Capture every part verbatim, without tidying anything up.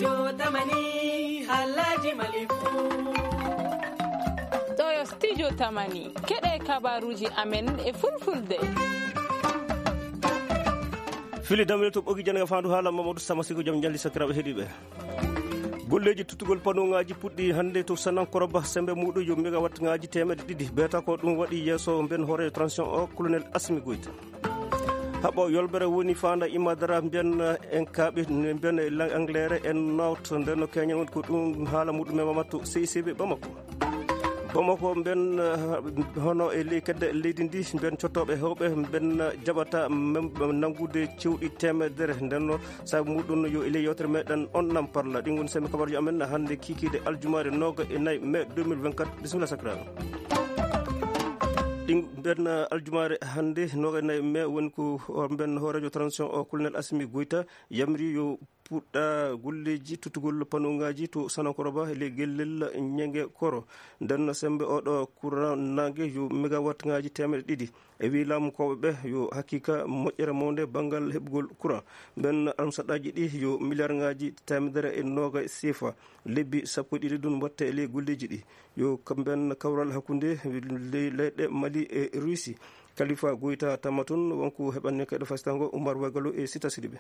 Yo tamani, halaji malifu. Ɗo yo studio tamani. Keɗe kabaruji amen e fulfulde. Fili damel to ɓogi jannga fandu haala Mamadou Sama Siko jam jalli sakiraɓe heɗiɓe. Golleji tuttugol panouŋaji puɗɗi hannde to Sanankoroba, sembe muɗum yo megawattŋaji temeɗe ɗiɗi. Beta ko ɗum waɗi yeeso mben hoore transition o, Colonel Asmi Goïta. Haɓo yolbere woni fanda imadara mbiyan en kaɓe mbiyan anglere en nawt nden no keñen woni ko ɗum haala muɗum e Mamadou C C B Bamako. Bamako mben, eh, hono e ley kedde leydi ndi, mben cottoɓe hewɓe mben jaɓata mem-, nangude cewɗi temedere. Nden no sabu muɗum yo e ley yewtere meɗen on nam parla. Ɗin woni sembe kabaruji amen hannde kikiɗe aljumaare noga e nayi mai deux mille vingt-quatre. Bisimilla sakiraɓe. Ɗin mben aljumaare hannde noga e nayi mai woni ko mben hoorejo transition o, Colonel Asmi Goïta, yamri yo puɗɗa golleji tuttugol panouŋaji to Sanankoroba e ley gellel Ñenge Koro. Nden no sembe oɗo courant nange yo megawattŋaji temeɗe ɗiɗi. E wi laamukooɓe ɓe yo haqiqa moƴƴere mawnde banngal heɓugol courant. Nden almusaɗaji ɗi yo miliyarŋaji temedere e noga sifa. Lebbi sappo e ɗiɗi ɗum watte e ley golleji ɗi. Yo ka-, nden kawral hakkunde ley-, leyɗe Mali e Russie. Kalifa Goïta tama toon wonko heɓanni kadi fasitango Oumar Wagalo e Sita Sidibé.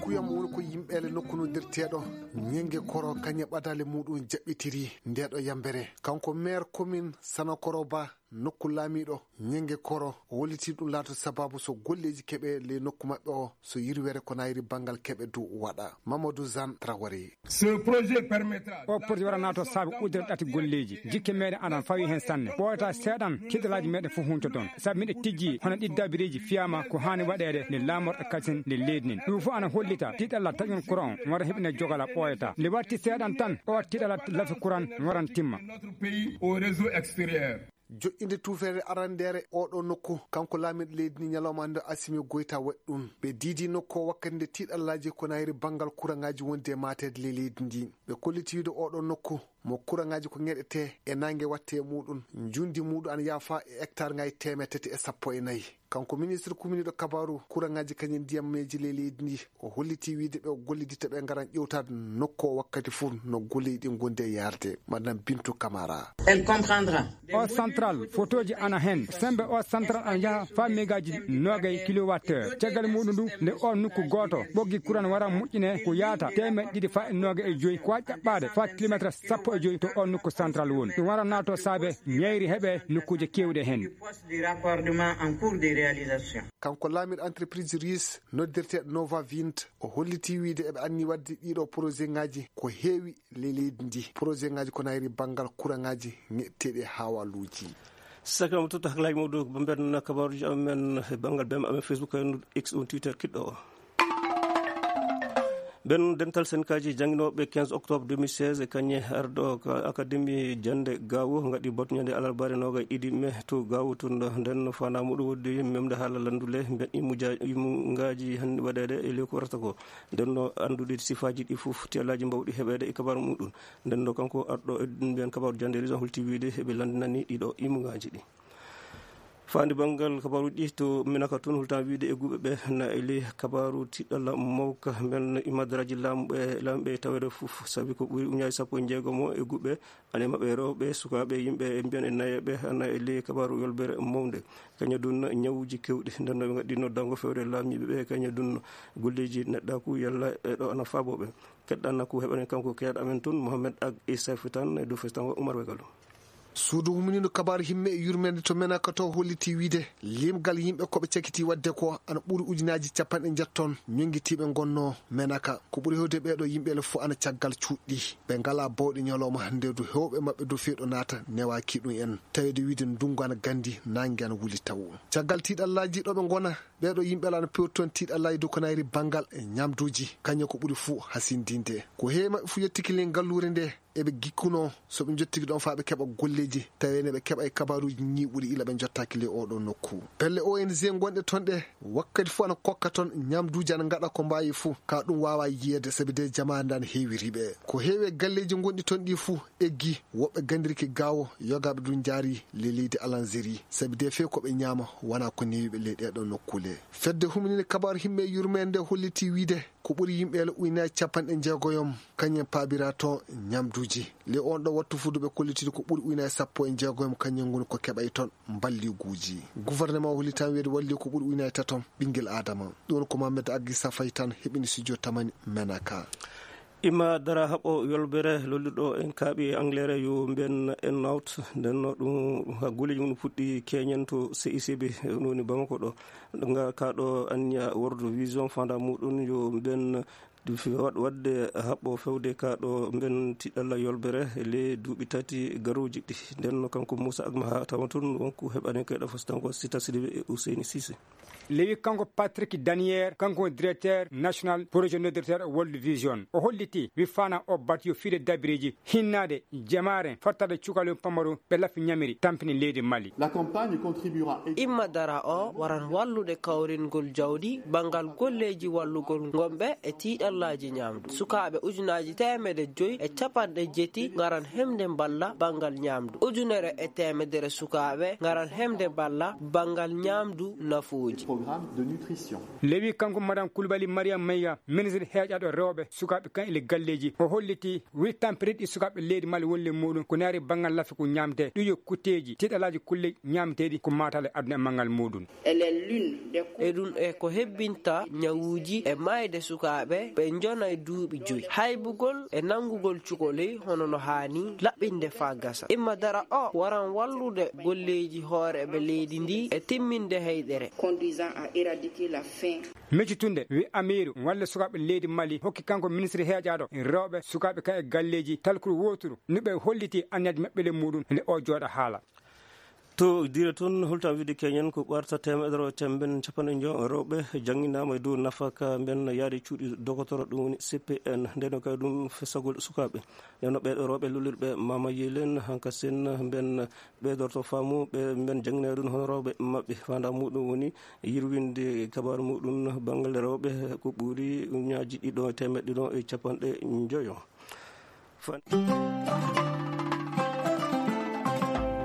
Kuyam woni ko yimɓe ele nokku noddirteeɗo Ñenge Koro, kañe ɓadale muɗum jaɓɓitiri ndeɗo yambere. Kanko maire commune Sanakoroba, nokku laamiɗo Ñenge Koro, o holliti ɗum laato sababu so golleji keɓe ley nokku maɓɓe o, so yirwere ko nayri banngal keɓe du waɗa. Mamadou Zan Traoré. Ce projet permettra. O projet waɗanaa to saabe udere ɗati golleeji. Jikke meɗen aɗan fawi heen sanne. Ɓooyata seeɗan, kiddalaaji meɗen fof huntoton. Sabu miɗen tijji hono ɗi dabireeji fiyama ko haani waɗeede nde laamorɗo kasin nde leydi nin. Ɗum fof ana hollita tiiɗalla taƴon courant on wara heɓine jogala ɓooyata. Nde watti seeɗan tan, o tiiɗalla lafi courant waran timma. Notre pays au réseau extérieur. Joƴƴinde tuufeere arandeere oɗo nokku, kanko laamiiɗo leydi ndi ñalawma nde Asimi Goyta waɗi ɗum. Ɓe diidi nokku o wakkati nde tiiɗallaaji ko nayri banngal kuraŋaaji wonde e maateede ley leydi ndi. Ɓe kolliti wiide oɗo nokku mo kuraŋaaji ko ŋeɗetee e naange watte e muɗum, njundi muɗum ana yaafa e hectare ŋaaji teemeɗe tati e sappo e nayi. Kanko ministre kuminiiɗo kabaaru kuraŋaaji kañum ndiyammeeji ley leydi ndi, o holliti wiide ɓe o gollidita ɓe ngaran ƴewtaade nokku o wakkati fof no golleeji ɗi ngondi e yaarde. Madame Bintou Camara. Elle comprendra. O central, fotooji ana heen. Semmbe o central ana yaha faa megaaji noogay kilowattheure. Caggal muɗum ndu, nde o nokku gooto, ɓoggi kuran wara moƴƴine ko yaata teemeɗɗe ɗiɗi faa e noogay e joyi. Ko waɗi ɗaɓɓaade faa kilomeetre sappo e joyi to o nokku central woni. Ɗum wara naatoo saabe ñayri heɓe nokkuuje keewɗe heen. Poste de raccordement en cours de réalisation. Kanko laamiiɗo entreprise russe noddirteeɗo Nova Wind, o holliti wiide eɓe anni waɗde ɗiɗo projet ŋaaji ko heewi ley leydi ndi. Projet ŋaaji ko nayri banngal kuraŋaaji ŋeɗteeɗi e hawaluuji. Sakiraaɓe tedduɓe, hakkillaaji muɗum ko mbeɗen kabaaruuji amen e banngal B M amen Facebook, e X on Twitter kiɗɗo o. Ɓen dental senkaaji jannginooɓe quinze octobre deux mille seize e kañe arɗo ka akademi jannde Gaawo ngaɗi batu ñande alarbaare noogay ɗiɗi mai to Gaawo tun. Nden no fana muɗum wodde memde haala lanndule mbeɗ imuja-, imungaaji hannde waɗeede e lewru ko warata ko. Nden no anndude sifaaji ɗi fof, tiyallaaji mbawɗi heɓeede e kabaaru muɗum. Nden no kanko arɗo e mbiyan kabaaru jannde région holti wiide eɓe lanndinani ɗiɗo imungaaji ɗi. Faandi banngal kabaaruuji ɗi to Minaka tun, holtan wiide e guuɓe ɓe na e ley kabaaru tiɗɗalla mawka men imadaraaji laamu ɓe, laamu ɓe taweede fof, sabi ko ɓuri uñaaji sappo e jeegom e guuɓe, ane maɓɓe rewɓe, sukaaɓe, yimɓe e mbiyan e nayeeɓe, ana e ley kabaaru yolbere mawnde. Kañum dun ñawuuji keewɗi, nden no ɓe ngaɗɗi noddango fewre laamiiɓe ɓe, kañum dun golleeji neɗɗaaku yalla e ɗo ana faaboo ɓe. Keɗɗan ko heɓanen kanko keeɗa amen tun, Mohamed Ag Issa Fitan, e dow festango Umar Wegalo. Suudu humniiɗo kabaaru himme e yurmeende to Menaka to holliti wiide limgal yimɓe ko ɓe cakiti waɗde ko ana ɓuri ujunaaji capanɗe njetton ñonngitiiɓe ngonnoo Menaka. Ko ɓuri heewde ɓeeɗo yimɓe le fof ana caggal cuuɗi. Ɓe ngalaa bawɗe ñalawma hannde du heewɓe maɓɓe du feeɗo naata newaaki ɗum en. Taweede wiide ndunngu ana ganndi, naange ana wuli taw. Caggal tiiɗallaaji ɗo ɓe ngona, ɓeeɗo yimɓe le ana pewti toon tiiɗallaaji du ko nayri banngal e ñamduuji. Kañum ko ɓuri fuu hasindinde. Ko heewi maɓɓe fuu yettiki le ngalluure nde. eɓe gikkunoo so ɓe njottiki ɗoon faa ɓe keɓa golleeji, tawee ne ɓe keɓa e kabaaruuji ñiiɓuɗi ila ɓe njottaaki ley oo ɗoo nokku. Pelle O N G ngonɗe toon ɗe, wakkati fof ana kokka toon ñaamduuji ana ngaɗa ko mbaawi fof, ka ɗum waawaa yiyeede, sabi de jamaare nde ana heewiri ɓe. Ko heewi e galleeji ngonɗi toon ɗi fof eggi, woɓɓe ganndirki gaawo, yogaaɓe ɗum njaari ley leydi Alanzeri, sabi de feewi ko ɓe ñaama wonaa ko newi ɓe ley ɗee ɗoo nokkuule. Fedde humininde kabaaru himme yurmeende nde hollitii wiyde ko ɓuri yimɓe ele ujunaaji capanɗe jeegoyom, kañum en paabiraa toon ñaamduuji. Ley oon ɗoo wattu fuɗɗuɓe kollitiiɗo ko ɓuri ujunaaji sappo e jeegoyom, kañum en ngoni ko keɓay toon mballiguuji. Gouvernement o hollitaa wiyde walli ko ɓuri ujunaaji tatom ɓinngel aadama. Ɗum ko Mamed Agisa Fay tan heɓini studio Tamani Menaka. Imma dara haɓo yolbere lolluɗo en kaaɓi e Angleterre yo mben en out. Nden no ɗum ha golleeji mum puɗɗi keñen to C I C B, ɗum woni Bamako ɗo. Nga ka ɗo anniya World Vision fanda muɗum yo mben waɗ-, waɗde haɓɓo fewde ka ɗo mben tiɗalla yolbere le duuɓi tati garuuji ɗi. Nden no kanko Moussa Agma ha tawa tun wonko heɓani kayɗo fasitango Sita Sidibe e Ousseyni Cissé. Lewi kanko Patrick Daniel, kanko woni directeur national projet noddirteeɗo World Vision. O holliti wi fana o bati yo fiide dabireeji hinnaade jamaare fattade cukalel pamaru ɓe lafi ñamiri tampini leydi Mali. La campagne contribuera également Imma dara o waran wallude kawringol jawdi banngal golleeji wallugol ngonɓe e tiiɗallaaji ñaamdu. Sukaaɓe ujunaaji teemedde joyi e capanɗe jetti ngaran hemde mballa banngal ñaamdu. Ujunere e teemedere sukaaɓe ngaran hemde mballa banngal ñaamdu nafooji. Programme de nutrition. Lewi kanko Madame Koulibaly Mariam Mayga, ministre heeƴaaɗo rewɓe, sukaaɓe kan e galleeji. O holliti wi tampere ɗi sukaaɓe leydi Mali wonle muɗum ko naari banngal lafi ko ñaamte. Ɗum yo kutteeji, tiiɗalaaji kulle ñaamteeɗi ko maatale aduna e manngal muɗum. Elle est l'une des E ɗum e ko hebbinta ñawuuji e maayde sukaaɓe ɓe njonay duuɓi joyi. Haybugol e nanngugol cukalel hono no haani laɓɓinde faa gasa. Imma dara o waran wallude golleeji hooreeɓe leydi ndi e timminde heyɗere. Conduisant à éradiquer la faim. Meccitunde wi Amiiru walla sukaaɓe leydi Mali hokki kanko ministre heeƴaaɗo rewɓe sukaaɓe ka e galleeji talkuru wooturu no ɓe holliti anniyaaji maɓɓe le muɗum nde o jooɗa haala. To dire toon, holto a wiide keñen ko ɓarta teemedere o temben capanɗe njo rewɓe jannginaama e dow nafaka mben yaade cuuɗi dokotoro, ɗum woni C P N. Ndeno kay ɗum fesagol sukaaɓe. Ndeno ɓeeɗo rewɓe lullirɓe Mama Yelen hanka sen mben ɓeydorto faamu ɓe mben janngina ɗum hono rewɓe maɓɓe. Fanda muɗum woni yirwinde kabaaru muɗum banngal rewɓe ko ɓuri ujunnaaji ɗiɗo e teemeɗɗe ɗiɗo e capanɗe njoyo. Fan-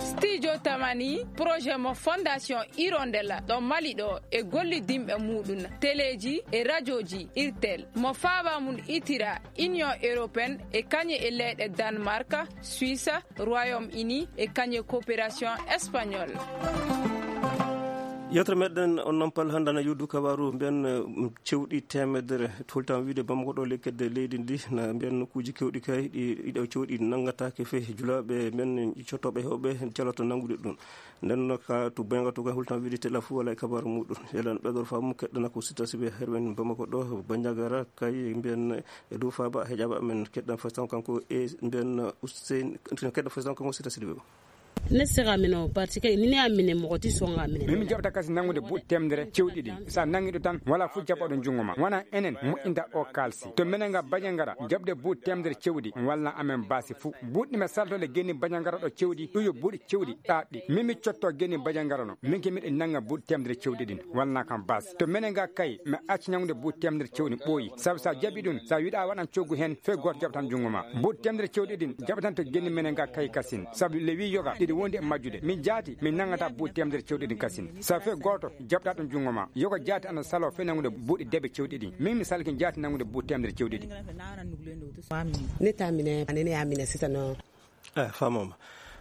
Studio Tamani, projet mo Fondation Hirondella ɗo Mali ɗo e gollidinɓe muɗum, teleeji e rajooji Irtel, mo faaba mum itira Union Européenne e kañe e leyɗe Danemark, Suisse, Royaume-Uni e kañe coopération espagnole. Yewtere meɗen on nampal hannde ana yuddu kabaaru mben, eh, cewɗi teemedere. Toltan wiide Bamako ɗo lekkedde leydi ndi na mbiyan nokkuuji kewɗi kay ɗi, ɗiɗo cewɗi nanngataake fey julaaɓe men cottooɓe heewɓe caloto nanngude ɗum. Nden no ka to Benga to kay hultan wiide tela fuu wala e kabaaru muɗum. Elan ɓeɗor faamu keɗɗana ko Sita Sibe herwen Bamako ɗo Banjagara kay mbiyan e dow faaba heƴaɓe amen keɗɗan fastan kanko e mbiyan Hussein keɗɗan fastan kanko Sita Sibe. Ne sera mino parce que ni ne amine mo ti songa mine. Min jaɓata kasi nanngude buuɗi teemedere cewɗi ɗiɗi. So a nanngi ɗo tan, wala fof jaɓɓoɗo junngo ma. Wona enen moƴƴinta o kaalsi. To minen nga Bajangara, jaɓde buuɗi teemedere cewɗi, walla amen baasi fof. Buuɗi ɗi mi saltode geni Bajangara ɗo cewɗi, ɗum yo buuɗi cewɗi ɗaatɗi. Min mi cotto geni Bajangara no. Min ke miɗo nannga buuɗi teemedere cewɗi ɗin, walla kam baasi. To minen nga kay, mi acci nanngude buuɗi teemedere cewɗi ɓooyi. Sabu so a jaɓi ɗum, so a wiɗa waɗan coggu heen, fey gooto jaɓtan junngo ma. Buuɗi teemedere cewɗi ɗin jaɓatan to geni minen nga kay kasin. Sabu le wi yoga ɗiɗi wondi e majjude. Min jaati, min nanngata buuɗi teemedere cewɗi ɗin kasin. Sabu fey gooto jaɓta ɗum junngo ma. Yoga jaati ana salo fey nanngude buuɗi debe cewɗi ɗin. Min mi salki jaati nanngude buuɗi teemedere cewɗi ɗin. Ne tamine, anene amine sitano. Eh, famama.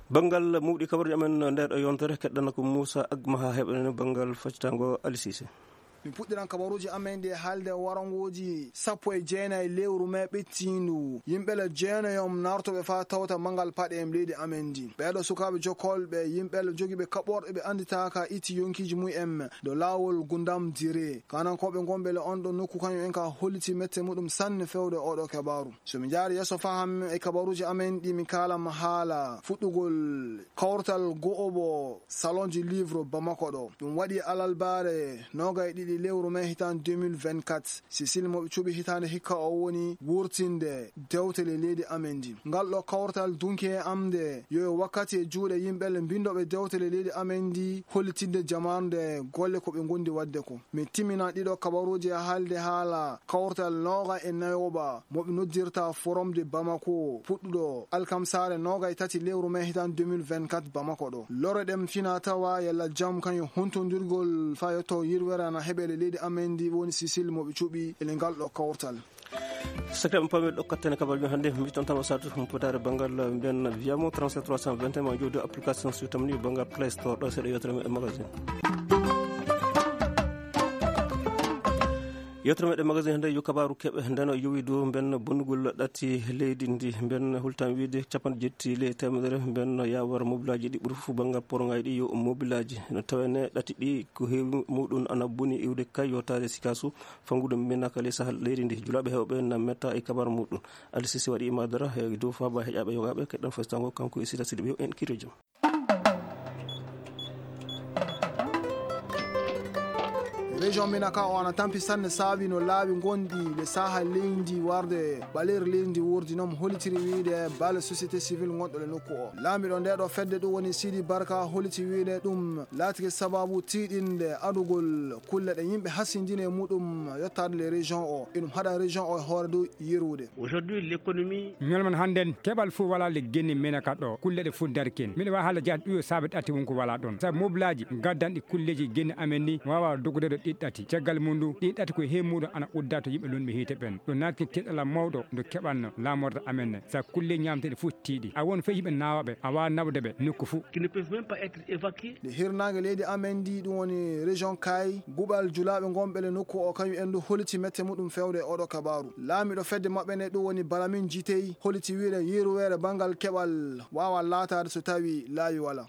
Banngal mawɗi kabarɗi amen ndeɗo yontere keɗɗana ko Moussa Agma ha heɓanen banngal faccatango Ali Cissé. Mi puɗɗiran kabaruuji amen ɗi e haalde warangooji sappo e jeenayi lewru mee ɓettiindu. Yimɓe le jeenayom nartoɓe faa tawta manngal paɗe em leydi amen ndi. Ɓeeɗo sukaaɓe jokkolɓe, yimɓe le jogiiɓe kaɓorɗe ɓe annditaaka itti yonkiiji mum en do laawol Gundam Dire. Kanankooɓe ngonɓe le on ɗo nokku kañum en ka holliti mette muɗum sanne fewde oɗo kabaaru. So mi jaari yeeso faham e kabaruuji amen ɗi mi kaalam haala fuɗɗugol kawtal go'obo Salon du Livre Bamako ɗo. Ɗum waɗi alalbaare noogay ɗiɗi Lewru mai hitaande deux mille vingt-quatre, Cécile mo ɓe cuɓi hitaande hikka o woni wurtinde dewtele leydi amen ndi. Ngal ɗo kawtal dunki e am nde yo e wakkati e juuɗe yimɓe le mbindoɓe dewtele leydi amen ndi hollitinde jamaanu nde golle ko ɓe gondi wadde ko. Mi timmina ɗiɗo kabaruuji e haalde haala kawtal nooga e nayoɓa mo ɓe noddirta Forum de Bamako, puɗɗuɗo alkamsaare nooga e tati lewru mai hitaande deux mille vingt-quatre Bamako ɗo. Lore ɗem fina tawa yalla jam kañum huntondirgol faa yetto yirwere ana heɓele leydi amen ndi woni Sicile mo ɓe cuɓi ele ngal ɗo kawtal. Sakiraaɓe, pami ɗo kattane kabaruuji hannde, mi tan tan o saatu humpitaare banngal mbiyen wiyamo trente-sept trois cent vingt et un ma jooɗo application so tamni banngal Play Store ɗo seeɗa yewtere meɗen magazine. Yewtere meɗen magazine hannde yo kabaaru keɓe ndeno yowi dow mben bonnugol ɗati leydi ndi, mben hultan wiide capanɗe jetti ley teemedere, mben yawar mobilaaji ɗi ɓuri fof banngal porŋaaji ɗi yo mobilaaji. No tawene ɗati ɗi ko heewi muɗum ana boni iwde kay yottaade sikasu. Fangude minaka ley sahal leydi ndi, julaaɓe heewɓe na metta e kabar muɗum. Ali Sisi waɗi ima dara e dow faaba heƴaaɓe yogaaɓe, keɗɗan festango kanko e Sida Sidi ɓe en kiro jam. Région minaka o ana tampi sanne saabi no laawi gonɗi le sahal leydi warde ɓaleeri leydi wurdi noon holitiri wiide bale société civile gonɗo le nokku o. Laamiɗo nde ɗo fedde ɗum woni Sidi Barka holiti wiide ɗum laatike sababu tiiɗinde adugol kulle ɗe yimɓe hasindini e muɗum yottaade le région o. Eɗum haɗa région o e hoore dow yerude. Aujourd'hui, l'économie. Ñalman hannden keɓal fof wala le genni mena ka ɗo kulle ɗe fof darkin. Miɗo wawi haalde jaati ɗum yo saabe ɗati won ko wala ɗon. Sabu mobilaaji gaddanɗi kulleeji genni amen ni wawa dogude ɗo ɗiɗi ɗati. Caggal mum ndu ɗiɗi ɗati ko he muɗum ana udda to yimɓe lunɓe hiite ɓen. Ɗo naati keɗala mawɗo ndu keɓanno laamorde amen ne. Sabu kulle ñaamteɗe fof tiiɗi. A won fey yimɓe nawaɓe, a wawa nawde ɓe nokku fof. Qui ne peuvent même pas être évacués. Nde hirnaange leydi amen ndi, ɗum woni région Kay, guɓal julaaɓe gonɓe le nokku o, kañum en du holiti mette muɗum fewde e oɗo kabaru. Laamiɗo fedde maɓɓe nde, ɗum woni Balamin Jitey, holiti wiide yeruweere banngal keɓal wawa laataade so tawi laawi wala.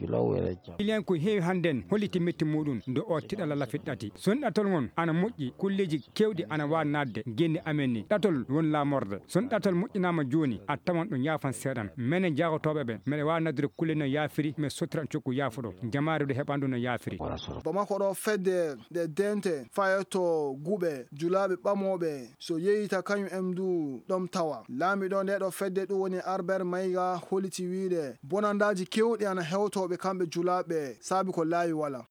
Client ko heewi hannden holliti metti muɗum nde o tiɗala lafi ɗati. Son ɗatol ngon ana moƴƴi, kulleeji kewɗi ana wawa naatde genni amen ni. Ɗatol won laamorde. Son ɗatal moƴƴinaama jooni, a tawan ɗum yaafan seeɗan. Menen jaagotooɓe ɓe, meɗe waawi naddude kulle no yaafiri, mi sottira cukku yaafuɗo. Jamaare du heɓan ɗum no yaafiri. Bamako ɗo fedde nde dente fayetto guɓe julaaɓe ɓamooɓe, so yeeyita kañum en du ɗon tawa. Laamiɗo nde ɗo fedde ɗum woni Albert Maïga holiti wiide bonandaaji keewɗi ana hewtooɓe kamɓe julaaɓe saabi ko laawi wala.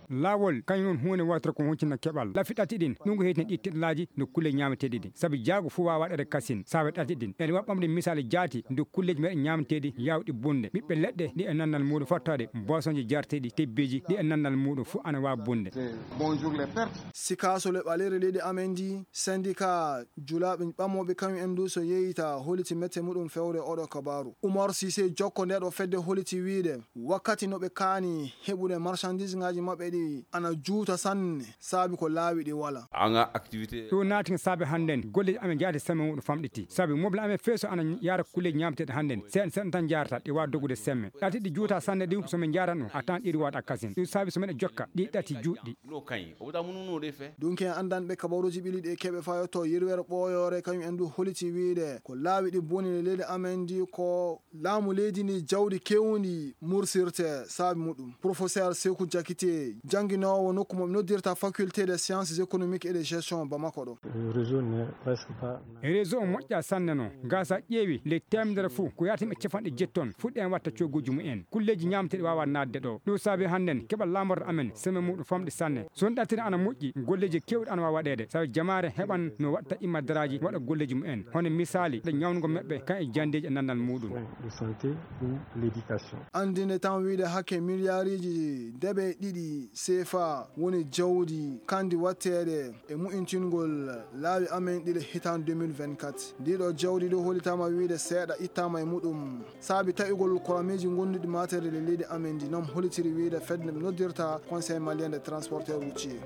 Laawol kañum woni huunde wootere ko huncina keɓal. Lafi ɗati ɗin, ɗum ko heytin ɗi tiɗalaaji no kulle ñaameteeɗi ɗin. Sabi jaago fof waawa waɗeede kasin, saabe ɗati ɗin. Ene waɗi ɓamde misaali jaati, nde kulleeji meɗen ñaameteeɗi yaawɗi bonde. Ɓiɓɓe leɗɗe ɗi e nannal muuɗum fottaade, boisonji jarteeɗi, tebbeeji ɗi e nannal muuɗum fof ana waawi bonde. Bonjour les pertes. Sikaaso le ɓaleeri leydi amen ndi, syndicat julaaɓe ɓamooɓe kañum en du so yeeyita holiti mette muɗum fewde oɗo kabaaru. Umar Sise jokko nde ɗo fedde holiti wiide wakkati no ɓe kaani heɓude marchandise ngaji maɓɓe ɗi ana juuta sanne saabi ko laawi ɗi wala. Anga activité. Ɗum naati saabe hannden golleeji amen jaati semaine muɗum famɗiti. Sabi mobile amen feeso ana yaara kulleeji ñaamteeɗi hannden seeɗa seeɗa tan jaarata ɗi waawa dogude semme. Ɗati ɗi juuta sanne ɗi so min jaarano a tan ɗiɗi waɗa kasin. Ɗum saabi so meɗen jokka ɗi ɗati juutɗi. Ɗo kañ, o wota munu no ɗe fe. Dunki en anndanɓe kabaruuji ɓiliiɗi e keɓe fayotto yirwere ɓooyoore kañum en du holiti wiide ko laawi ɗi boni e leydi amen ndi ko laamu leydi ndi jawdi kewndi mursirte saabi muɗum. Professeur Sekou Diakité, jannginoowo nokku mo ɓe noddirta Faculté des Sciences Économiques et de Gestion Bamako ɗo. Réseau ne presque pas. Réseau o moƴƴa sanne no. Gasa ƴeewi ley teemedere fof ko yaata yimɓe capanɗe jetti on fuɗɗi en watta cogguuji mumen. Kulleeji ñaamteeɗi waawa naatde ɗo. Ɗum saabi hannden keɓal laamorde amen seme muɗum famɗi sanne. So on ɗattiri ana moƴƴi, golleeji keewɗi ana waawa waɗeede. Sabu jamaare heɓan no waɗta immadaraaji waɗa golleeji mumen. Hono misaali, ɗo ñawnugol maɓɓe kan e janndeeji e nannal muɗum. De santé ou l'éducation. Anndinde tan wiide hakke miliyariiji deɓe ɗiɗi seefa woni jawdi kandi watteede e mu'intingol laawi amen ɗiɗi hitaande deux mille vingt-quatre. Ndiɗo jawdi ɗo holitaama wiide seeɗa ittaama e muɗum. Saabi taƴugol kurameeji gonduɗi mateede e leydi amen ndi, noon holitiri wiide fedde nde ɓe noddirta Conseil Malien des Transporteurs Routiers.